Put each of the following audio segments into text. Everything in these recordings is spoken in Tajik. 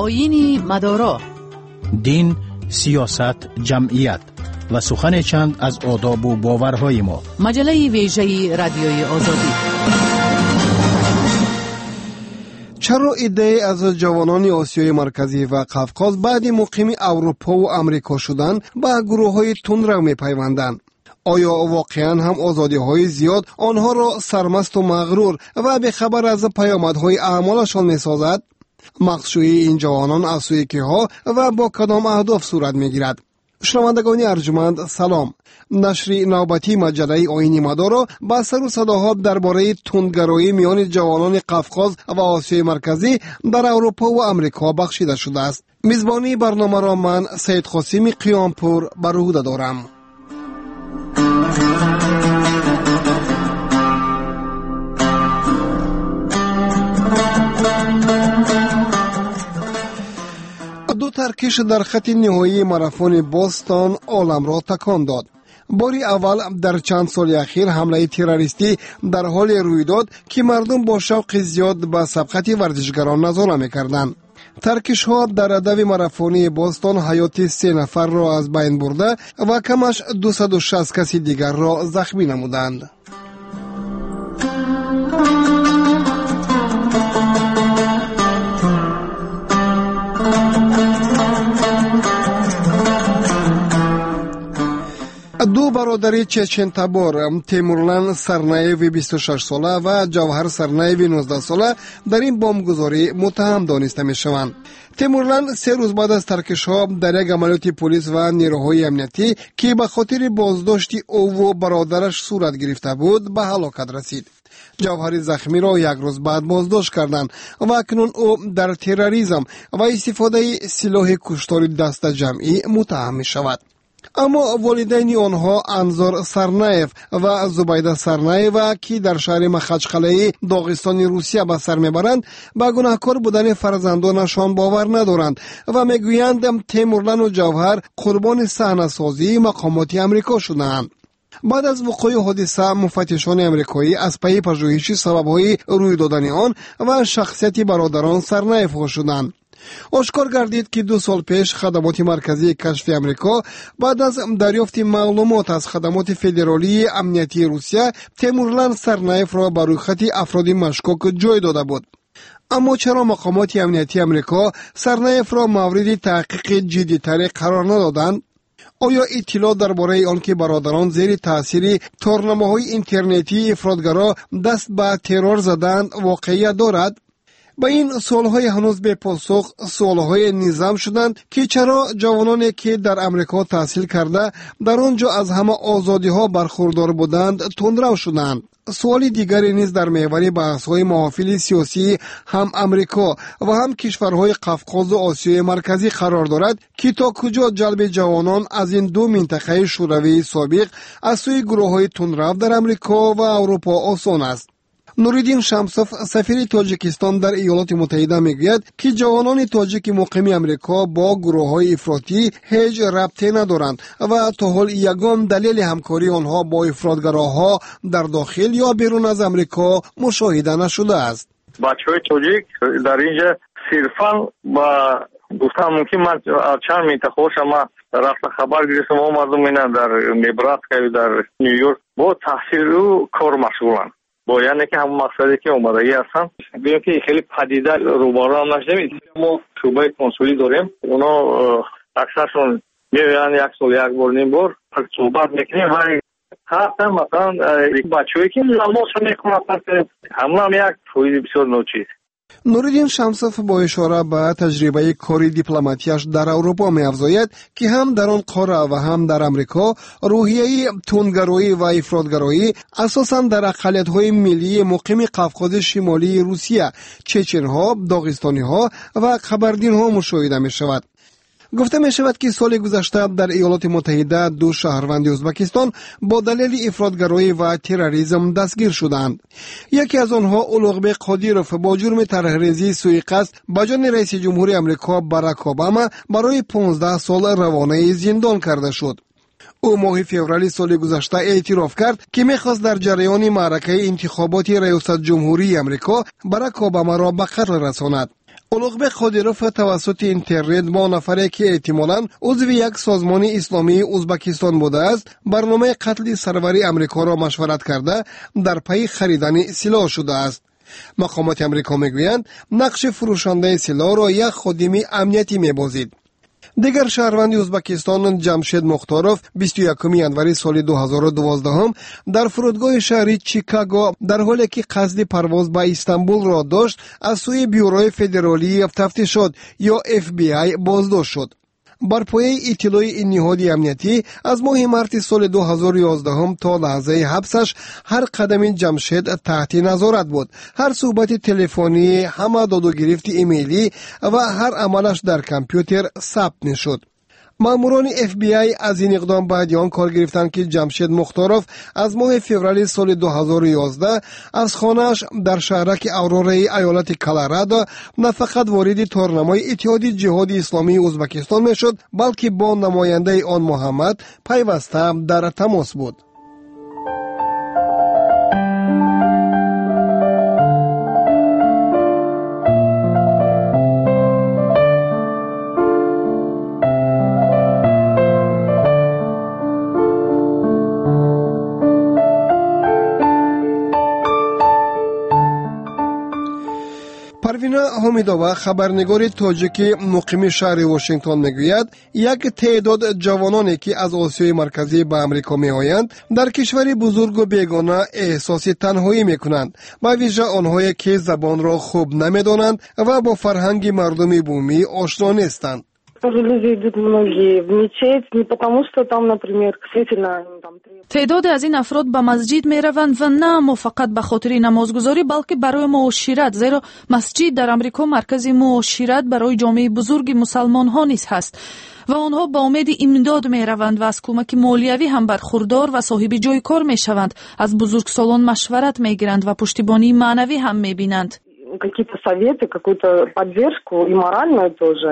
Оини Мадоро. Дин, сиёсат, ҷамъият ва сухане чанд аз одобу боварҳои мо. Маҷаллаи вежаи Радиои Озодӣ. Чаро иддае аз ҷавонони Осиёи Марказӣ ва Қавқоз баъди муқими Аврупову Амрико шудан ба гурӯҳҳои тундрав мепайванданд? Оё воқеан ҳам озодиҳои зиёд онҳоро сармасту мағрур ва бехабар аз паёмадҳои аъмолашон месозад? Мақсшӯии ин ҷавонон аз сӯи киҳо ва бо кадом аҳдоф сурат мегирад? Шунавандагони арҷманд, салом. Нашри навбатии маҷаллаи Оини Мадоро ба сару садоҳо дар бораи тундгароӣ миёни ҷавонони Қавқоз ва Осиёи Марказӣ дар Аврупо ва Амрико бахшида шудааст. Мизбонии барномаро ман, Саидқосими Қиёмпур, бар уҳда дорам. Ду таркиш дар хати ниҳоии марафони Бостон оламро такон дод. Бори аввал дар чанд соли ахир ҳамлаи террористӣ дар ҳоле рӯй дод, ки мардум бо шавқи зиёд ба сабқати варзишгарон назора мекарданд. Таркишҳо дар дави марафонии Бостон ҳаёти се нафарро аз байн бурда ва камаш 260 каси дигарро захмӣ намуданд. Ду бародари чечентабор, Темурлан Сарнаеви 26сола ва Ҷавҳар Сарнаеви 19сола, дар ин бомбгузорӣ муттаҳам дониста мешаванд. Темурлан 3 рӯз баъд аз таркишҳо дар як амалиёти полис ва нерӯҳои амниятӣ, ки ба хотири боздошти ӯву бародараш сурат гирифта буд, ба ҳалокат расид. Ҷавҳари захмиро як рӯз баъд боздошт карданд ва акнун ӯ дар терроризм ва истифодаи силоҳи куштори дастаҷамъӣ муттаҳам мешавад. Аммо волидайни онҳо, Анзор Сарнаев ва Зубайда Сарнаева, ки дар шаҳри Махачқалаи Доғистони Русия ба сар мебаранд, ба гунаҳкор будани фарзандонашон бовар надоранд ва мегӯянд, Темурлану Ҷавҳар қурбони саҳнасозии мақомоти Амрико шудаанд. Баъд аз вуқӯи ҳодиса муфаттишони амрикоӣ аз пайи пажӯҳиши сабабҳои рӯй додани он ва шахсияти бародарон Сарнаевҳо шуданд. Ошкор гардид, ки 2 сол пеш Хадамоти марказии кашфи Амрико баъд аз дарёфти маълумот аз Хадамоти федералии амниятии Русия Темурлан Сарнаевро ба рӯйхати афроди машкук ҷой дода буд. Аммо чаро мақомоти амниятии Амрико Сарнаевро мавриди таҳқиқи ҷиддитаре қарор надоданд? Оё иттилоъ дар бораи он ки бародарон зери таъсири торнамоҳои интернетии ифротгаро даст ба террор задаанд, воқеият дорад? Ба ин суолҳои ҳанӯз бепосух суолҳое низам шуданд, ки чаро ҷавононе, ки дар Амрико таҳсил карда, дар он ҷо аз ҳама озодиҳо бархурдор буданд, тундрав шуданд. Суоли дигаре низ дар меҳвари баҳсҳои маҳофили сиёсии ҳам Амрико ва ҳам кишварҳои Қавқозу Осиёи Марказӣ қарор дорад, ки то куҷо ҷалби ҷавонон аз ин ду минтақаи шӯравии собиқ аз сӯи гурӯҳҳои тундрав дар Амрико ва Аврупо осон аст. Нуриддин Шамсов, сафири Тоҷикистон дар Иёлоти Муттаҳида, мегӯяд, ки ҷавонони тоҷики муқими Амрико бо гурӯҳҳои ифротӣ ҳеҷ рабте надоранд ва то ҳол ягон далели ҳамкории онҳо бо ифротгароҳо дар дохил ё берун аз Амрико мушоҳида нашудааст. Бачаҳои тоҷик дар инҷа сирфан ба гуфтан мумкин, ман аз чанд минтақаҳоша ман рафта хабар гирифтам, омадам, ина дар Небраскаю дар Ню Йорк бо таҳсилу кор машғуланд, бо яъне ки ҳамон мақсаде ки омадагӣ ҳастанд. Гӯем ки хеле падида рӯбаро ҳам нашудем. Мо шӯъбаи консулӣ дорем, оно аксаршон меоянд як сол як бор, ним бор суҳбат мекунем. Ва ҳастанд, масалан, бачаҳое ки намозшо мехонанд, ҳамонам як фоизи бисёр ночиз. Нуриддин Шамсов бо ишора ба таҷрибаи кори дипломатияш дар Аврупо меафзояд, ки ҳам дар он қора ва ҳам дар Амрико рӯҳияи тундгароӣ ва ифротгароӣ асосан дар ақаллиятҳои миллии муқими Қавқози Шимолии Русия, чеченҳо, доғистониҳо ва қабардинҳо мушоҳида мешавад. Гуфта мешавад, ки соли гузашта дар Иёлоти Муттаҳида ду шаҳрванди Ӯзбекистон бо далели ифротгароӣ ва терроризм дастгир шуданд. Яке аз онҳо, Улуғбек Қодиров, бо ҷурми тарҳрезии суиқасд ба ҷони раиси ҷумҳури Амрико Барак Обама барои 15 сол равонаи зиндон карда шуд. Ӯ моҳи феврали соли гузашта эътироф кард, ки мехост дар ҷараёни маъракаи интихоботи раёсатҷумҳурии Амрико Барак Обамаро ба қатл расонад. Улуғбек Қодиров тавассути интернет бо нафаре, ки эҳтимолан узви як созмони исломии Узбакистон будааст, барномаи қатли сарвари Амрикоро машварат карда, дар пайи харидани силоҳ шудааст. Мақомоти Амрико мегӯянд, нақши фурӯшандаи силоҳро як ходими амниятӣ мебозид. Дигар шаҳрванди Узбакистон Ҷамшед Мухторов 21 январи соли 2012 дар фурудгоҳи шаҳри Чикаго, дар ҳоле ки қасди парвоз ба Истанбулро дошт, аз сӯи Бюрои федералии тафтишот ё FBI боздошт шуд. Бар пояи иттилои ин ниҳоди амниятӣ, аз моҳи марти соли 2011 то лаҳзаи ҳабсаш ҳар қадами Ҷамшед таҳти назорат буд. Ҳар суҳбати телефонӣ, ҳама додугирифти имейлӣ ва ҳар амалаш дар компютер сабт мешуд. Маъмурони FBI аз ин иқдом баъди он кор гирифтанд, ки Ҷамшед Мухторов аз моҳи феврали соли 2011 аз хонааш дар шаҳраки Аврораи аёлати Колорадо на фақат вориди торнамои Иттиҳоди ҷиҳоди исломии Узбакистон мешуд, балки бо намояндаи он Муҳаммад пайваста дар тамос буд. Парвина Ҳомидова, хабарнигори тоҷики муқими шаҳри Вошингтон, мегӯяд, як теъдод ҷавононе, ки аз Осиёи Марказӣ ба Амрико меоянд, дар кишвари бузургу бегона эҳсоси танҳоӣ мекунанд, ба вижа онҳое, ки забонро хуб намедонанд ва бо фарҳанги мардуми бумӣ ошно нестанд. Тоже люди идут многие в мечеть не потому, что там, например, действительно там. Теъдоде аз ин афрод ба масҷид мераванд ва на аммо фақат ба хотири намозгузорӣ, балки барои муошират, зеро масҷид дар Амрико маркази муошират барои ҷомеаи бузурги мусалмонҳо низ ҳаст ва онҳо ба умеди имдод мераванд ва аз кӯмаки молиявӣ ҳам бархурдор ва соҳиби ҷои кор мешаванд, аз бузургсолон машварат мегиранд ва пуштибонии маънавӣ ҳам мебинанд. Какие-то советы, какую-то поддержку и моральную тоже.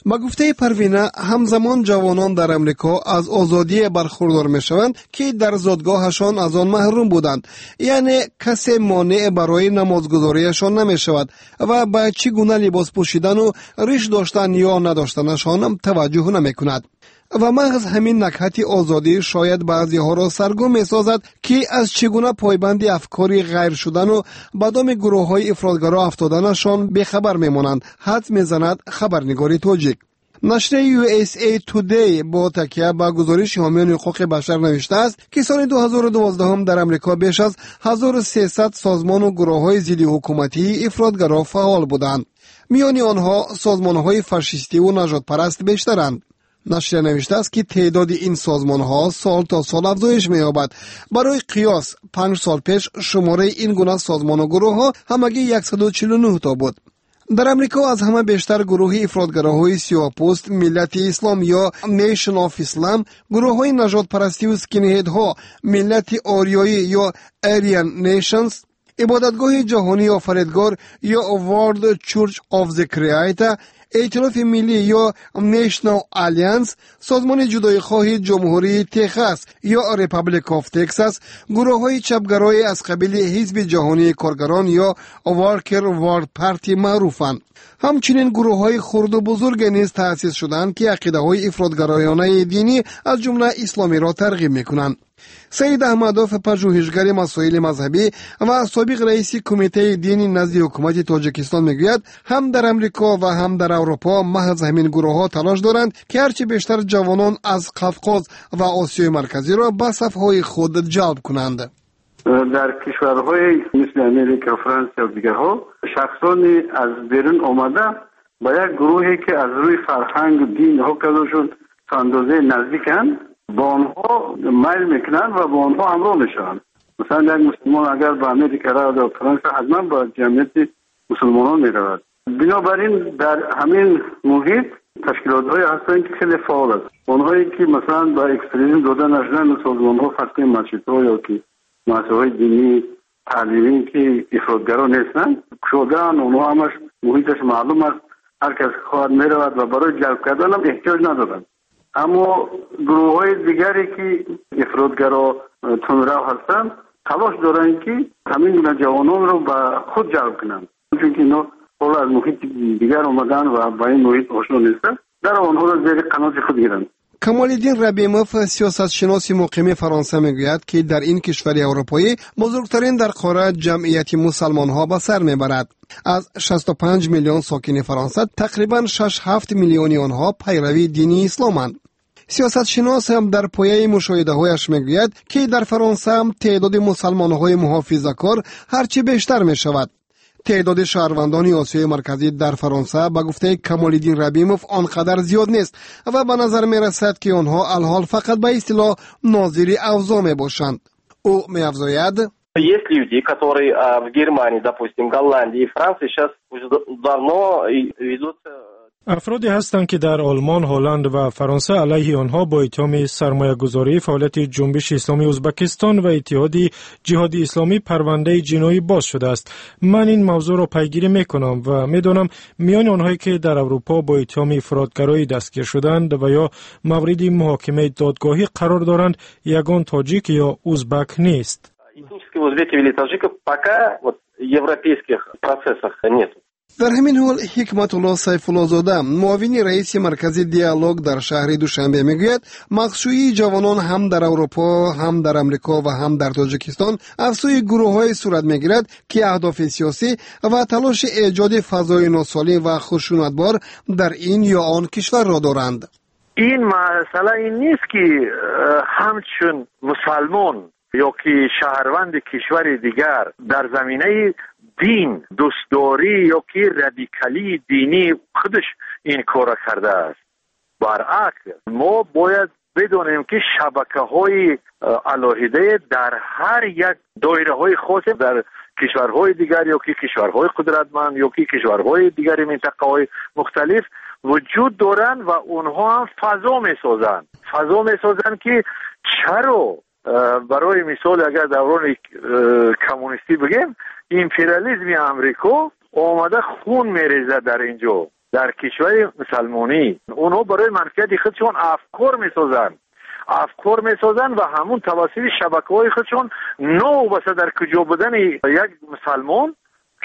Ба гуфтаи Парвина, ҳамзамон ҷавонон дар Амрико аз озодие бархурдор мешаванд, ки дар зодгоҳашон аз он маҳрум буданд, яъне касе монеъ барои намозгузориашон намешавад ва ба чӣ гуна либос пӯшидану риш доштан ё надоштанашон таваҷҷӯҳ намекунад. Ва маҳз ҳамин накҳати озодӣ шояд баъзеҳоро саргум месозад, ки аз чӣ гуна пойбанди афкори ғайр шудану ба доми гурӯҳҳои ифротгаро афтоданашон бехабар мемонанд, ҳадс мезанад хабарнигори тоҷик. Нашрияи USA Today бо такя ба гузориши ҳомиёни ҳуқуқи башар навиштааст, ки соли 2012 дар Амрико беш аз 1300 созмону гурӯҳҳои зиддиҳукуматии ифротгаро фаъол буданд. Миёни онҳо созмонҳои фашистиву нажодпараст бештаранд. Нашрия навиштааст, ки теъдоди ин созмонҳо сол то сол афзоиш меёбад. Барои қиёс, 5 сол пеш шумораи ин гуна созмону гурӯҳҳо ҳамагӣ 149 то буд. Дар Амрико аз ҳама бештар гурӯҳи ифротгароҳои сиёҳпӯст Миллати ислом ё Nation of Islam, гурӯҳҳои нажодпарастиву скинҳедҳо Миллати ориёӣ ё Aryan Nations, Ибодатгоҳи ҷаҳонии офаридгор ё World Church of the Creator, Эътилофи миллӣ ё National Alliance, Созмони ҷудоихоҳи Ҷумҳурии Техас ё Republic of Texas, гурӯҳҳои чапгарои аз қабили Ҳизби ҷаҳонии коргарон ё Worker World Party маъруфанд. Ҳамчунин гурӯҳҳои хурду бузурге низ таъсис шуданд, ки ақидаҳои ифротгароёнаи динӣ, аз ҷумла исломиро, тарғиб мекунанд. Саид Аҳмадов, пажӯҳишгари масоили мазҳабӣ ва собиқ раиси Кумитаи дини назди ҳукумати Тоҷикистон, мегӯяд, ҳам дар Амрико ва ҳам дар Аврупо маҳз ҳамин гурӯҳҳо талош доранд, ки ҳарчи бештар ҷавонон аз Қавқоз ва Осиёи Марказиро ба сафҳои худ ҷалб кунанд. Дар кишварҳои мисли Америка, Франсия ва дигарҳо шахсони аз берун омада ба як гурӯҳе, ки аз рӯи фарҳангу дин ҳоказошон то андозаи наздиканд, ба онҳо майл мекунанд ва бо онҳо ҳамроҳ мешаванд. Масалан, як мусулмон агар ба Америка равад ё Франса, ҳатман ба ҷамъияти мусулмонон меравад. Бинобар ин дар ҳамин муҳит ташкилотҳое ҳастанд, ки хеле фаъол аст. Онҳое ки, масалан, ба экстремизм дода нашуданд, созмонҳо, фарз кунем, масҷидҳо ё ки муассисаҳои динӣ таълимӣ, ки ифротгаро нестанд, кушодаанд. Онҳо ҳамаш муҳиташ маълум аст, ҳар кас хоҳад меравад ва барои ҷалб карданам эҳтиёҷ надоранд. Аммо гурӯҳҳои дигаре, ки ифротгаро, тундрав ҳастанд, талош доранд, ки ҳамин гуна ҷавононро ба худ ҷалб кунанд, чунки инҳо Ҳоло аз муҳити дигар омадаанд ва ба ин муҳит ошно нестанд, дар онҳоро зери қаноти худ гиранд. Камолиддин Рабимов, сиёсатшиноси муқими Фаронса, мегӯяд, ки дар ин кишвари аврупоӣ бузургтарин дар қора ҷамъияти мусалмонҳо ба сар мебарад. Аз 65 миллион сокини Фаронса тақрибан 6-7 миллиони онҳо пайрави дини исломанд. Сиёсатшинос дар пояи мушоҳидаҳояш мегӯяд, ки дар Фаронса теъдоди мусалмонҳои муҳофизакор ҳарчи бештар мешавад. Теъдоди шаҳрвандони Осиёи Марказӣ дар Фаронса, ба гуфтаи Камолиддин Рабимов, он қадар зиёд нест ва ба назар мерасад, ки онҳо алҳол фақат ба истилоҳ нозири авзоъ мебошанд. Ӯ меафзояд: Есть люди, которые в Германии, допустим, Голландии и Франции сейчас уже давно ведут. Афроде ҳастанд, ки дар Олмон, Ҳолланд ва Фаронса алайҳи онҳо бо иттиҳоми сармоягузорӣ, фаъолияти Ҷунбиши Исломии Ӯзбекистон ва Иттиҳоди Ҷиҳоди Исломӣ парвандаи ҷиноӣ боз шудааст. Ман ин мавзӯъро пайгирӣ мекунам ва медонам, миёни онҳое ки дар Аврупо бо иттиҳоми ифротгароӣ дастгир шуданд ва ё мавриди муҳокимаи додгоҳӣ қарор доранд, ягон тоҷик ё узбак нест. Этнических узбеков или таджиков пока вот в европейских процессах нет. Дар ҳамин ҳол Ҳикматулло Сайфуллозода, муовини раиси маркази «Диалог» дар шаҳри Душанбе, мегӯяд, мағшӯии ҷавонон ҳам дар Аврупо, ҳам дар Амрико ва ҳам дар Тоҷикистон аз сӯи гурӯҳҳое сурат мегирад, ки аҳдофи сиёсӣ ва талоши эҷоди фазои носолим ва хушунатбор дар ин ё он кишварро доранд. Ин масъала ин нест, ки ҳамчун мусалмон ё ки шаҳрванди кишвари дигар дар заминаи дин дӯстдорӣ ё ки радикалии динӣ худаш ин корро кардааст. Баръакс, мо бояд бидонем, ки шабакаҳои алоҳидае дар ҳар як доираҳои хосе дар кишварҳои дигар ё ки кишварҳои қудратманд ё ки кишварҳои дигари минтақаҳои мухталиф вуҷуд доранд ва онҳо ҳам фазо месозанд, ки чаро, барои мисол, агар даврони коммунистӣ бигем, империализми Амрико омада хун мерезад дар ин ҷо, дар кишвари мусалмонӣ. Онҳо барои манфиати худшон афкор месозанд ва ҳамун тавассути шабакаҳои худшон, новобаста дар куҷо будани як мусалмон,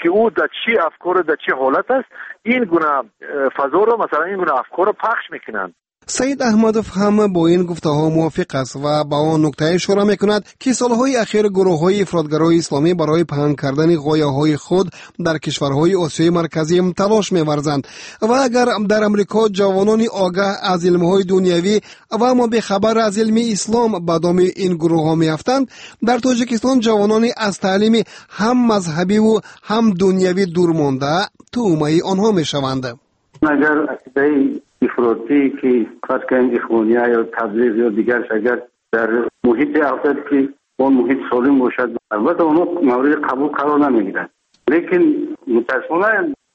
ки ӯ дар чӣ афкору дар чӣ ҳолат аст, ин гуна фазоро, масалан, ин гуна афкорро пахш мекунанд. Саид Аҳмадов ҳам бо ин гуфтаҳо мувофиқ аст ва ба он нукта ишора мекунад, ки солҳои ахир гурӯҳҳои ифротгарои исломӣ барои паҳн кардани ғояҳои худ дар кишварҳои Осиёи Марказӣ талош меварзанд ва агар дар Амрико ҷавонони огаҳ аз илмҳои дунявӣ ва аммо бехабар аз илми ислом ба доми ин гурӯҳҳо меафтанд, дар Тоҷикистон ҷавонони аз таълими ҳам мазҳабиву ҳам дунявӣ дур монда тӯъмаи онҳо мешаванд. Агар ақидаи ифротӣ, ки фарз кунем ихвония ё таблиғ ё дигарш, агар дар муҳите афтад, ки он муҳит солим бошад, албатта онҳо мавриди қабул қарор намегиранд. Лекин мутаассифона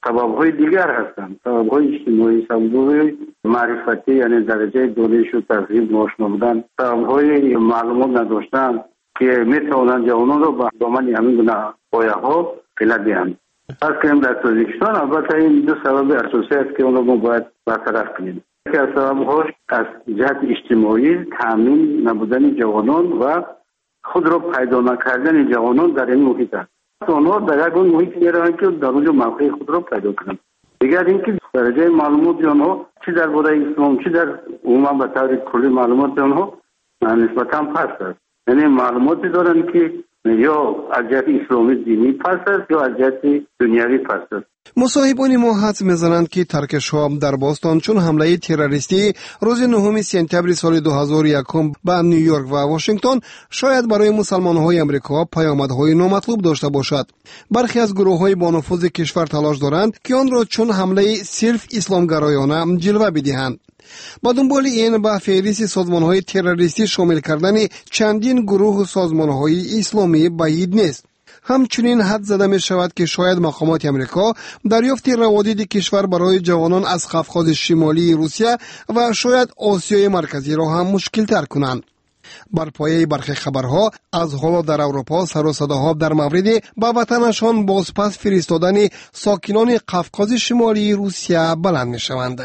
сабабҳои дигар ҳастанд: сабабҳои иҷтимоӣ, сабабҳои маърифатӣ, яъне дараҷаи донишу таҳзиб ношно будан, сабабҳои маълумот надоштан, ки метавонанд ҷавононро ба домани ҳамин гуна пояҳо фила диҳанд. Фарз кунем, дар Тоҷикистон албатта ин ду сабаби асосӣ аст, ки онро мо бояд бартараф кунем. Яке аз сабабҳош аз ҷиҳати иҷтимоӣ таъмин набудани ҷавонон ва худро пайдо накардани ҷавонон дар ин муҳит аст. Онҳо дар ягон муҳит мераванд, ки дар он ҷо мавқеи худро пайдо кунанд. Дигар ин ки дараҷаи маълумоти онҳо, чӣ дар бораи ислом, чӣ дар умуман ба таври куллӣ маълумоти онҳо нисбатан паст аст. Яъне маълумоте доранд, ки ё аз ҷиҳати исломӣ динӣ паст аст, ё аз ҷиҳати дунявӣ паст аст. Мусоҳибони мо ҳадс мезананд, ки таркишҳо дар Бостон, чун ҳамлаи террористии рӯзи 9 сентябри соли 2001 ба Ню-Йорк ва Вашингтон, шояд барои мусалмонҳои Амрико паёмадҳои номатлуб дошта бошад. Бархе аз гурӯҳҳои бонуфузи кишвар талош доранд, ки онро чун ҳамлаи сирф исломгароёна ҷилва бидиҳанд. Ба дунболи ин ба феҳристи созмонҳои террористӣ шомил кардани чандин гурӯҳу созмонҳои исломӣ баъид нест. Ҳамчунин ҳадс зада мешавад, ки шояд мақомоти Амрико дарёфти раводиди кишвар барои ҷавонон аз Қавқози Шимолии Русия ва шояд Осиёи Марказиро ҳам мушкилтар кунанд. Бар пояи бархе хабарҳо, аз ҳоло дар Аврупо сару садоҳо дар мавриди ба ватанашон бозпас фиристодани сокинони Қавқози Шимолии Русия баланд мешаванд.